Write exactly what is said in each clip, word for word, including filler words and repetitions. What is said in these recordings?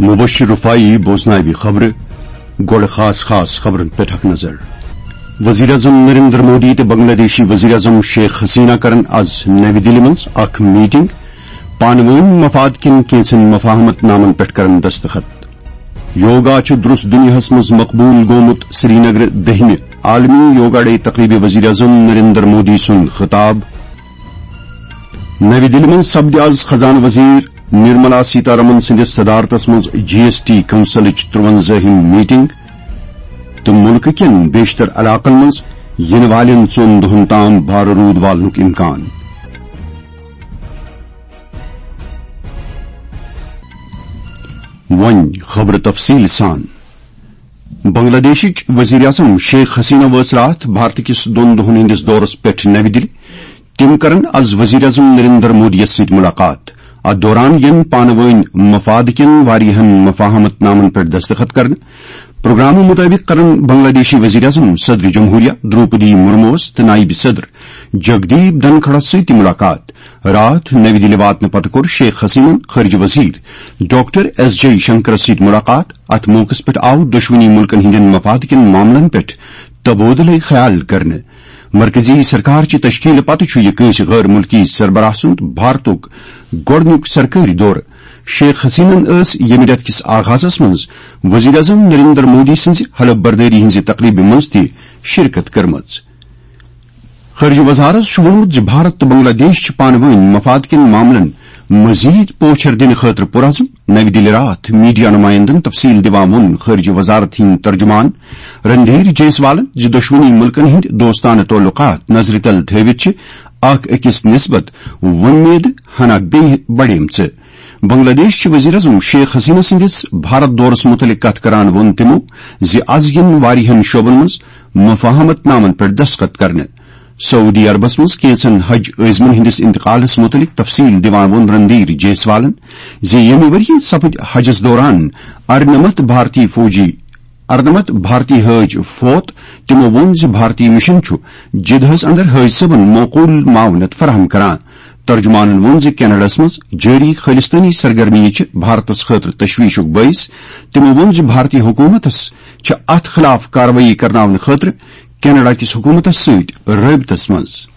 مبشر رفاعی بوزناوِ خبرٕ۔ گۄڈٕ خاص خاص خبرن پٮ۪ٹھ اکھ نظر۔ وزیر اعظم نریندر مودی تہٕ بنگلہ دیشی وزیر اعظم شیخ حسینہ کرن از نَوِ دِلہِ منٛز اکھ میٹنگ۔ پانہٕ وٲنۍ مفاد کٮ۪ن کینٛژن مفاہمت نامن پٮ۪ٹھ کرن دستخط۔ یوگا چھُ درست دُنیاہس منٛز مقبوٗل گوٚمُت۔ سرینگر، دٔہمہِ عالمی یوگا ڈے تقریبہِ وزیر اعظم نریندر مودی سُنٛد خطاب۔ نَوِ دِلہِ منٛز سپدِ از خزانہٕ وزیر نرملا سیتارمن سٕنٛدِس صدارتس منٛز جی ایس ٹی کونسلٕچ ترٛوَنزٲہِم میٹنگ تہٕ مُلکہٕ کٮ۪ن بیشتر علاقن منٛز یِنہٕ والٮ۪ن ژۄن دۄہن تام بھارٕ روٗد والنُک امکان۔ وۄنۍ خبرٕ تفصیٖل سان۔ بنگلہ دیشٕچ وزیر اعظم شیخ حسینہ وٲژ راتھ بھارت کِس دۄن دۄہن ہٕنٛدِس دورس پٮ۪ٹھ نَوِ دِلہِ۔ تِم کرن از وزیر اعظم نریندر مودی یَس سۭتۍ مُلاقات۔ اتھ دوران یِن پانہٕ وٲنۍ مفاد کٮ۪ن واریاہن مفاہمت نامن پٮ۪ٹھ دستخط کرنہٕ۔ پروگرامہٕ مُطٲبِق کرن بنگلہ دیشی وزیر اعظم صدر جمہوریہ دروپدی مرموس تہٕ نائب صدر جگدیپ دھنکھڑس سۭتۍ تہِ مُلاقات۔ راتھ نَوِ دِلہِ واتنہٕ پتہٕ کوٚر شیخ حسینن خارجہ وزیر ڈاکٹر ایس جے شنکرس سۭتۍ مُلاقات۔ اتھ موقعس پٮ۪ٹھ آو دۄشوٕنی مُلکن ہٕنٛدٮ۪ن مفاد کٮ۪ن معاملن پٮ۪ٹھ تبادلہٕ خیال کرنہٕ۔ مرکزی سرکار چہِ تشکیلہٕ پتہٕ چھُ یہِ کٲنٛسہِ غٲر مُلکی سربراہ سُنٛد بھارتُک گۄڈٕنیُک سرکٲری دورٕ۔ شیخ حسینن ٲس ییٚمہِ رٮ۪تہٕ کِس آغازس منٛز وزیر اعظم نریندر مودی سٕنٛزِ حلف بردٲری ہٕنٛزِ تقریبہِ منٛز تہِ شرکت کٔرمٕژ۔ خارجہ وزارت چھُ ووٚنمُت زِ بھارت تہٕ بنگلہ دیش چھِ پانہٕ وٲنۍ مفاد کٮ۪ن معاملن مزید پوچھر دِنہٕ خٲطرٕ پُرعزم۔ نَوِ دِلہِ راتھ میڈیا نمائندن تفصیل دِوان ووٚن خارجہ وزارت ہٕنٛدۍ ترجمان رندھیر جیسوالن زِ دۄشوٕنی مُلکن ہٕنٛدۍ دوستانہٕ تعلقات نظرِ تل تھٲوِتھ چھِ اکھ أکِس نسبت وۄمید ہنا بیٚیہِ بڑیمژٕ۔ بنگلہ دیش چہِ وزیر اعظم شیخ حسینہ سٕنٛدِس بھارت دورس مُتعلق کتھ کران ووٚن تِمو زِ از یِن واریاہن شعبن منٛز مفاہمت نامن پٮ۪ٹھ دستخط کرنہٕ۔ سعودی عربس منٛز کینٛژن حج عٲزمن ہٕنٛدِس انتقالس مُتعلق تفصیل دِوان ووٚن رندھیر جیسوالن زِ ییٚمہِ ؤرۍ یہِ سپٕدۍ حجس دوران ارنمتھ بھارتی فوجی، ارنمتھ بھارتی حٲج فوت۔ تِمو ووٚن زِ بھارتی مشن چھُ جدہس اندر حٲج صٲبن معقول معاونت فراہم کران۔ ترجمانن ووٚن زِ کینیڈاہس منٛز جٲری خٲلصتٲنی سرگرمیہِ چھِ بھارتس خٲطرٕ تشویشُک بٲعث۔ تِمو ووٚن زِ بھارتی حکومتس چھِ اتھ خلاف کاروٲیی کرناونہٕ خٲطرٕ کینیڈا کِس حکومتس سۭتۍ رٲبطس منٛز۔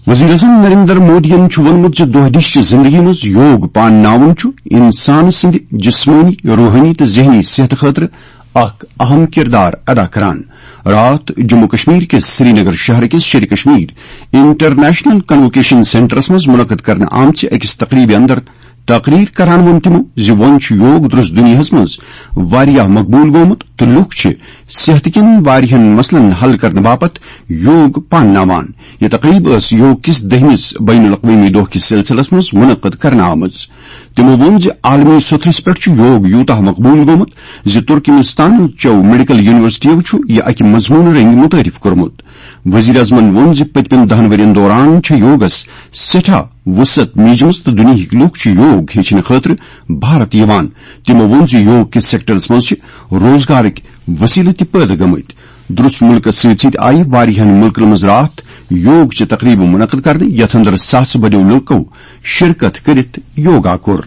وزیر اعظم نریندر مودیَن چھُ ووٚنمُت زِ دۄہ دِش چہِ زندگی منٛز یوگ پانناوُن چھُ انسان سٕنٛدِ جسمٲنی، روحٲنی تہٕ ذہنی صحتہٕ خٲطرٕ اکھ اہم کردار ادا کران۔ راتھ جموں کشمیر کِس سرینگر شہر کِس شیرِ کشمیر انٹرنیشنل کنووکیشن سینٹرس منٛز منعقد کرنہٕ آمژِ أکِس تقریبہِ اندر تقریر کران ووٚن تِمو زِ وۄنۍ چھُ یوگ درست دُنیاہَس منٛز واریاہ مقبوٗل گوٚمُت تہٕ لوٗکھ چھِ صحت کٮ۪ن واریاہَن مسلن حل کرنہٕ باپتھ یوگ پانناوان۔ یہِ تقریب ٲس یوگ کِس دٔہمِس بین الاقوٲمی دۄہ کِس سلسلس منٛز منعقد کرنہٕ آمٕژ۔ تِمو ووٚن زِ عالمی سطحس پٮ۪ٹھ چھُ یوگ یوٗتاہ مقبوٗل گوٚمُت زِ ترکمستان چٮ۪و میڈیکل یونیورسٹیو چھُ یہِ اکہِ مضموٗنہٕ رٔنگۍ متعارف کوٚرمُت۔ وزیر اعظمن ووٚن زِ پٔتمٮ۪ن دَہَن ؤرین دوران چھےٚ یوگس سٮ۪ٹھاہ وسعت میٖجمٕژ تہٕ دُنیہٕکۍ لوٗکھ چھِ یوگ ہیٚچھنہٕ خٲطرٕ بھارت یِوان۔ تِمو ووٚن زِ یوگ کِس سیکٹرس منٛز چھِ روزگارٕکۍ وسیلہٕ تہِ پٲدٕ گٔمٕتۍ۔ درست مُلکس سۭتۍ سۭتۍ آیہِ واریاہن مُلکن منٛز راتھ یوگ چہِ تقریبہٕ منعقد کرنہٕ، یتھ اندر ساسہٕ بٔدیو لوٗکو شرکت کٔرِتھ یوگا کوٚر۔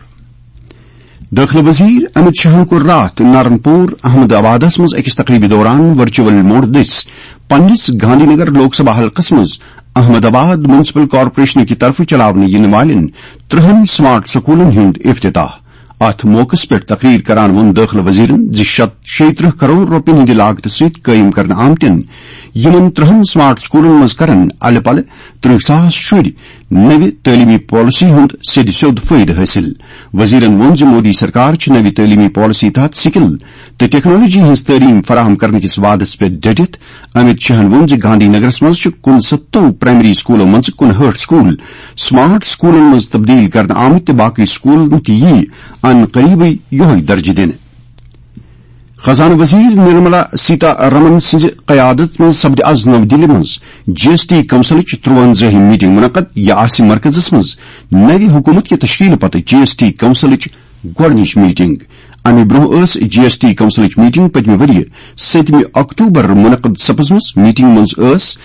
دٲخلہٕ وزیر امت شاہن کوٚر راتھ نارن پور احمد آبادس منٛز أکِس تقریبہِ دوران ورچوئل موڈ دٔسۍ پننِس گاندھی نگر لوک سبھا حلقس منٛز احمد آباد میونسپل کارپوریشن کہِ طرفہٕ چلاونہٕ یِنہٕ والٮ۪ن ترٛہَن سمارٹ سکولن ہُنٛد افتتاح۔ اتھ موقعس پٮ۪ٹھ تقریر کران ووٚن دٲخلہٕ وزیرن زِ شت-، شیٚیہِ ترٕٛہ کرور رۄپین ہٕنٛدِ لاگتہٕ سۭتۍ قٲیِم کرنہٕ آمتٮ۪ن یِمن ترٛہَن سمارٹ سکولن منٛز کرن الہٕ پلہٕ ترٕٛہ ساس شُرۍ نوِ تعلیمی پالیسی ہُنٛد سیٚدِ سیوٚد فٲیدٕ حٲصِل۔ وزیرن ووٚن زِ مودی سرکار چھِ نوِ تعلیمی پالیسی تحت سکل تہٕ ٹیکنالوجی ہٕنٛز تعلیٖم فراہم کرنہٕ کِس وعدس پٮ۪ٹھ ڈٔٹِتھ۔ امت شاہن ووٚن زِ گاندھی نگرس منٛز چھِ کُنسَتتو پرائمری سکولو منٛزٕ کُنہٲٹھ سکول سمارٹ سکولن منٛز تبدیل کرنہٕ آمٕتۍ تہٕ باقی سکولن تہِ یِیہِ ان قریبٕے یِہوٚے درجہٕ دِنہٕ۔ خزانہٕ وزیر نرملا سیتا رمن سٕنٛزِ قیادت منٛز سپدِ از نَوِ دِلہِ منٛز جی ایس ٹی کونسلٕچ ترٛوَنزٲہِم میٹنگ منعقد۔ یہِ آسہِ مرکزس منٛز نوِ حکومت کہِ تشکیلہٕ پتہٕ جی ایس ٹی کونسلٕچ گۄڈٕنِچ میٹنگ۔ امہِ برٛونٛہہ ٲس جی ایس ٹی کونسلٕچ میٹنگ پٔتمہِ ؤرۍ یہِ سٔتمہِ اکتوبر منعقد سپٕزمٕژ۔ میٹنگ منٛز ٲس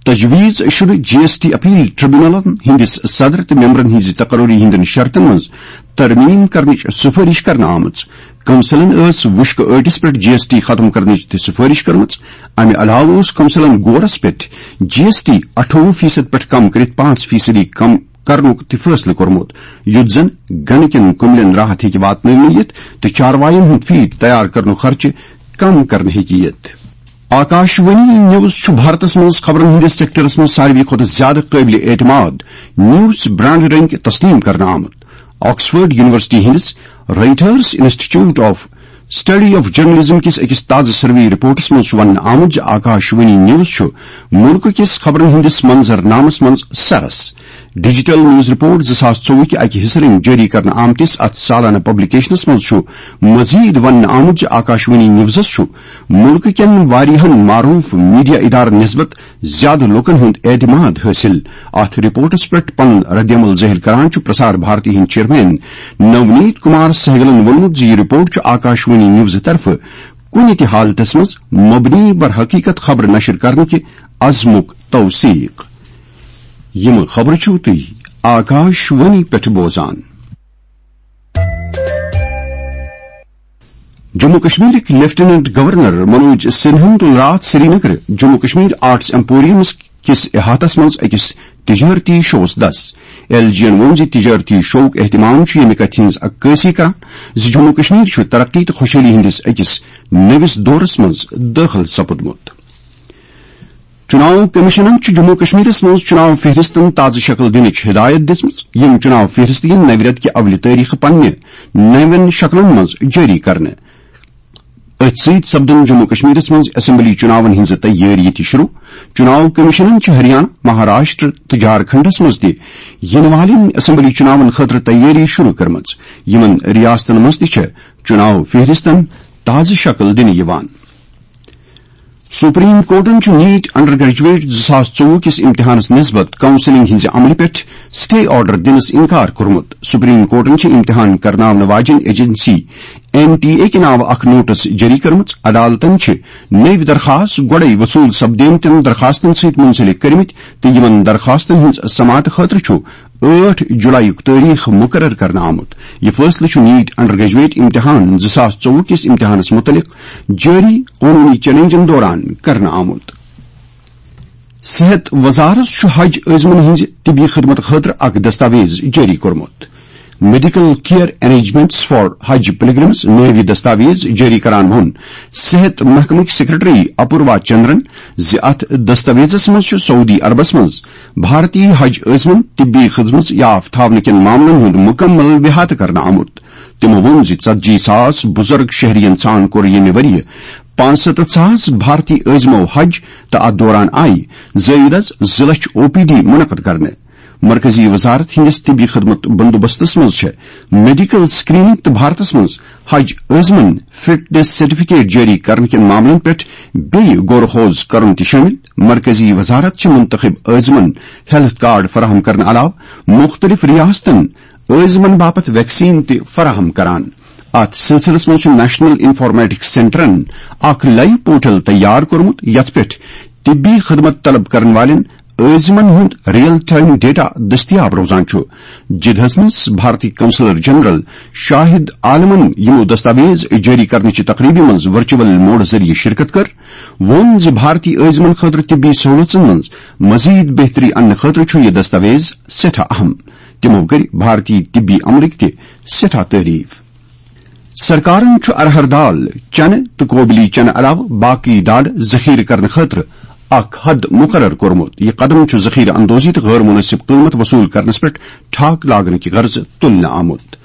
تجویز شدٕ جی ایس ٹی اپیل ٹریبونلن ہٕنٛدِس صدر تہٕ ممبرن ہٕنٛزِ تقرری ہٕنٛدٮ۪ن شرطن منٛز ترمیم کرنٕچ سفٲرش کرنہٕ آمٕژ۔ کونسلن ٲس وُشکہٕ ٲٹِس پٮ۪ٹھ جی ایس ٹی ختم کرنٕچ تہِ سفٲرش کٔرمٕژ۔ امہِ علاوٕ اوس کونسلن گورس پٮ۪ٹھ جی ایس ٹی اَٹھووُہ فیصد پٮ۪ٹھ کم کٔرِتھ پانٛژھ فیصدی کم کرنُک تہِ فٲصلہٕ کوٚرمُت، یُتھ زن گنہٕ کٮ۪ن کُملٮ۪ن راحت ہیٚکہِ واتناونہٕ یِتھ تہٕ چاروایَن ہُنٛد فیٖڈ تیار کرنُک خرچہٕ کم کرنہٕ ہیٚکہِ یِتھ۔ آکاشوانی نیوز چھُ بھارتس منٛز خبرن ہٕنٛدِس سیکٹرس منٛز ساروی کھۄتہٕ زیادٕ قٲبلِ اعتماد نیوز برانڈ رٔنگۍ تسلیم کرنہٕ آمُت۔ آکسفورڈ یونیورسٹی ہٕنٛدِس writers institute of study of journalism کِس أکِس تازٕ سروے رپورٹس منٛز چھُ وننہٕ آمُت زِ آکاشوانی نیوز چھُ مُلکہٕ کِس خبرن ہٕنٛدِس منظر نامس منٛز سرس۔ ڈیجیٹل نیوز رپورٹ زٕ ساس ژوٚوُہ کہِ اکہِ حصہٕ رٔنگۍ جٲری کرنہٕ آمتِس اتھ سالانہٕ پبلیکیشنس منٛز چھُ مزید وننہٕ آمُت زِ آکاشوانی نیوزس چھُ مُلکہٕ کٮ۪ن واریاہن معروف میڈیا ادارن نسبت زیادٕ لوٗکن ہُنٛد اعتماد حٲصِل۔ اتھ رپورٹس پٮ۪ٹھ پنُن ردعمل ظٲہِر کران چھُ پرسار بھارتی ہٕنٛدۍ چیئرمین نونیت کمار سہگلن ووٚنمُت زِ یہِ رپورٹ چھُ آکاشوانی نیوزٕ طرفہٕ کُنہِ تہِ حالتس منٛز مبنی بر حقیقت خبرٕ نشر کرنہٕ کہِ عزمُک توثیق۔ یِم خبرٕ چھِو تُہۍ آکاشوانی پٮ۪ٹھ بوزان۔ جموں کشمیرٕکۍ لیفٹیننٹ گورنر منوج سنہاہن تُل راتھ سرینگر جموں کشمیر آرٹس ایمپوریمس کِس احاطس منٛز أکِس تجارتی شووس دس۔ ایل جی ین ووٚن زِ تجارتی شووُک اہتمام چھُ ییٚمہِ کتھِ ہٕنٛز عکٲسی کران زِ جموں کشمیر چھُ ترقی تہٕ خۄشحٲلی ہٕنٛدِس أکِس نٔوِس دورس منٛز دٲخل سپُدمُت۔ چُناو کمیشنن چھُ جموں کشمیرس منٛز چُناو فہرستن تازٕ شکل دِنٕچ ہدایت دِژمٕژ۔ یِم چُناو فہرست یِن نوِ رٮ۪تہٕ کہِ اولہِ تٲریخہٕ پننہِ نوٮ۪ن شکلن منٛز جٲری کرنہٕ۔ أتھۍ سۭتۍ سپدن جموں کشمیرس منٛز اسمبلی چُناون ہٕنٛزٕ تیٲری تہِ شروع۔ چُناو کمیشنن چھِ ہریانہ، مہاراشٹر تہٕ جھارکھنڈس منٛز تہِ یِنہٕ والٮ۪ن اسمبلی چُناون خٲطرٕ تیٲری شروع کٔرمٕژ۔ یِمن ریاستن منٛز تہِ چھےٚ چُناو فہرستن تازٕ شکل دِنہٕ یِوان۔ سپریم کورٹن چھُ نیٹ انڈر گریجویٹ زٕ ساس ژوٚوُہ کِس امتحانس نسبت کونسلنگ ہٕنٛزِ عملہِ پٮ۪ٹھ سٹے آرڈر دِنس انکار کوٚرمُت۔ سپریم کورٹن چھِ امتحان کرناونہٕ واجٮ۪ن ایجنسی این ٹی اے کہِ ناوٕ اکھ نوٹس جٲری کٔرمٕژ۔ عدالتن چھِ نٔوۍ درخاست گۄڈَے وصوٗل سپدیمتٮ۪ن درخاستن سۭتۍ منسلک کٔرمٕتۍ تہٕ یِمن درخاستن ہٕنٛز سماعت خٲطرٕ چھُ ٲٹھ جولایُک تٲریخ مقرر کرنہٕ آمُت۔ یہِ فٲصلہٕ چھُ نیٹ انڈر گریجویٹ امتحان زٕ ساس ژوٚوُہ کِس امتحانس مُتعلق جٲری قونوٗنی چیلنجن دوران کرنہٕ آمُت۔ صحت وزارت چھُ حج عٲزمن ہٕنٛزِ طبی خدمت خٲطرٕ اکھ دستاویز جٲری کوٚرمُت۔ میڈیکل کیئر ارینجمنٹس فار حج پلگرمز نٲوۍ یہِ دستاویز جٲری کران ووٚن صحت محکمٕکۍ سیکرٹری اپوروا چندرن زِ اتھ دستاویزس منٛز چھُ سعودی عربس منٛز بھارتی حج عٲزمن طبی خدمت یافتہٕ تھاونہٕ کٮ۪ن معاملن ہُنٛد مُکمل احاطہٕ کرنہٕ آمُت۔ تِمو ووٚن زِ ژتجی ساس بُزرگ شہرین سان کوٚر ییٚمہِ ؤرۍ یہِ پانٛژھ سَتَتھ ساس بھارتی عٲزمو حج تہٕ اتھ دوران آیہِ زٲیدس زٕ لچھ او پی ڈی منعقد کرنہٕ۔ مرکزی وزارت ہٕنٛدِس طبی خدمت بندوبستس منٛز چھےٚ میڈیکل سکریننگ تہٕ بھارتس منٛز حج عٲزمن فٹنس سرٹیفکیٹ جٲری کرنہٕ کٮ۪ن معاملن پٮ۪ٹھ بیٚیہِ غور و خوض کرُن تہِ شٲمِل۔ مرکزی وزارت چھِ منتخب عٲزمن ہیلتھ کارڈ فراہم کرنہٕ علاوٕ مُختٔلِف ریاستن عٲزمن باپتھ ویکسین تہِ فراہم کران۔ اتھ سلسلس منٛز چھُ نیشنل انفارمیٹکس سینٹرن اکھ لائیو پورٹل تیار کوٚرمُت، یتھ پٮ۪ٹھ طبی خدمت طلب کرن والٮ۪ن عٲزمن ہُنٛد ریئل ٹائم ڈیٹا دٔستیاب روزان چھُ۔ جدہس منٛز بھارتی قونصلر جنرل شاہد عالمن یِمو دستاویز جٲری کرنٕچہِ تقریبہِ منٛز ورچوئل موڈ ذٔریعہٕ شرکت کٔر، ووٚن زِ بھارتی عٲزمن خٲطرٕ طبی سہولژن منٛز مزید بہتری اننہٕ خٲطرٕ چھُ یہِ دستاویز سٮ۪ٹھاہ اہم۔ تِمو کٔرۍ بھارتی طبی عملٕکۍ تہِ سٮ۪ٹھاہ تعریف۔ سرکارن چھُ ارہر دال، چنہٕ تہٕ کوبلی چنہٕ علاوٕ باقی دالہٕ ذخیرٕ کرنہٕ خٲطرٕ اکھ حد مقرر کوٚرمُت۔ یہِ قدم چھُ ذخیرٕ اندوزی تہٕ غٲر مناسب قۭمتھ وصوٗل کرنس پٮ۪ٹھ ٹھاکھ لاگنہٕ کہِ غرضہٕ تُلنہٕ آمُت۔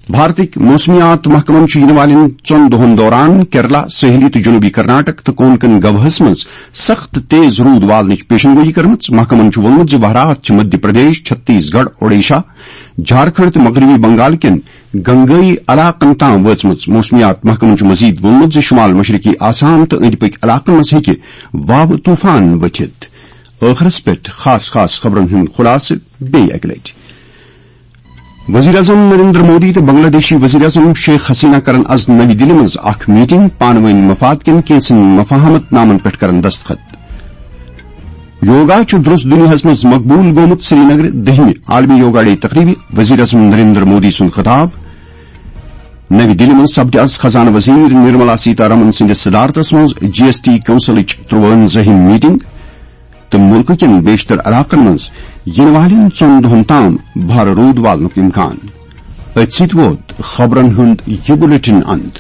بھارتٕکۍ موسمیات محکمن چھُ یِنہٕ والٮ۪ن ژۄن دۄہَن دوران کیرلا، ساحلی تہٕ جنوبی کرناٹک تہٕ کونکن گواہَس منٛز سخت تیز روٗد والنٕچ پیشن گویی کٔرمٕژ۔ محکمن چھُ ووٚنمُت زِ وہرات چھِ مدھیہ پردیش، چھتیس گڑھ، اوڈیشہ، جھارکھنڈ تہٕ مغربی بنگال کٮ۪ن گنگٲیی علاقن تام وٲژمٕژ۔ موسمیات محکمن چھُ مزید ووٚنمُت زِ شمال مشرقی آسام تہٕ أنٛدۍ پٔکۍ علاقن منٛز ہیٚکہِ واوٕ طوفان ؤتھِتھ۔ ٲخرس پٮ۪ٹھ خاص خاص خبرن ہُنٛد خلاصہٕ بیٚیہِ اکہِ لٹہِ۔ وزیر اعظم نریندر مودی تہٕ بنگلہ دیشی وزیر اعظم شیخ حسینہ کرن از نئی دہلی منٛز اکھ میٹنگ، پانہٕ وٲنۍ مفاد کٮ۪ن کینٛژن مفاہمت نامن پٮ۪ٹھ کرن دستخط۔ یوگا چھُ درست دُنیاہس منٛز مقبوٗل گوٚمُت۔ سرینگر، دٔہمہِ عالمی یوگا ڈے تقریبہِ، وزیر اعظم نریندر مودی سُنٛد خطاب۔ نَوِ دِلہِ منٛز سپدِ از خزانہٕ وزیر نرملا سیتارمن سٕنٛدِس صدارتس منٛز جی ایس ٹی کونسلٕچ ترُوَنزٲہِم میٹنگ تہٕ مُلکہٕ کٮ۪ن بیشتر علاقن منٛز یِنہٕ والٮ۪ن ژۄن دۄہن تام بھارٕ روٗد والنُک امکان۔ أتھۍ سۭتۍ ووت خبرن ہُنٛد یہِ بُلٹن اند۔